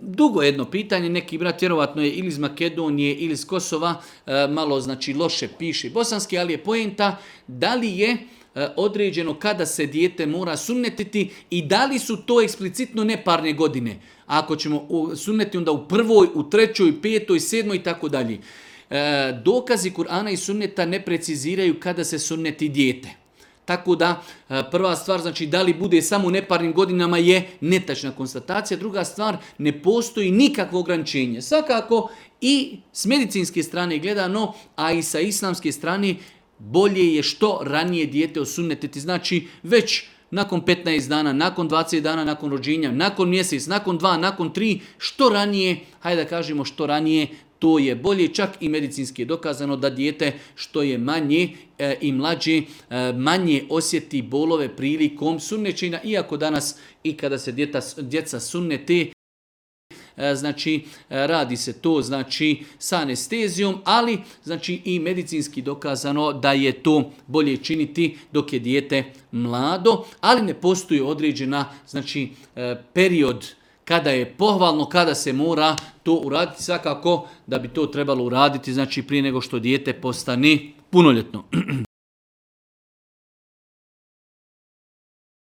dugo jedno pitanje, neki brat vjerovatno je ili iz Makedonije ili iz Kosova, malo znači loše piše bosanski, ali je poenta da li je određeno kada se dijete mora sunnetiti i da li su to eksplicitno neparne godine. Ako ćemo sunneti onda u prvoj, u trećoj, petoj, sedmoj i tako dalje. Dokazi Kur'ana i sunneta ne preciziraju kada se sunneti dijete. Tako da prva stvar, znači da li bude samo u neparnim godinama je netačna konstatacija. Druga stvar, ne postoji nikakvo ograničenje. Svakako i s medicinske strane gledano, a i sa islamske strane bolje je što ranije dijete osunnetiti. Znači već nakon 15 dana, nakon 20 dana, nakon rođenja, nakon mjesec, nakon 2, nakon 3, što ranije, hajde da kažemo što ranije, to je bolje. Čak i medicinski je dokazano da dijete što je manje i mlađe, manje osjeti bolove prilikom sunnećenja, iako danas i kada se djeca sunnete, znači radi se to znači sa anestezijom, ali znači i medicinski dokazano da je to bolje činiti dok je dijete mlado, ali ne postoji određena znači period kada je pohvalno, kada se mora to uraditi. Svakako da bi to trebalo uraditi znači prije nego što dijete postane punoljetno.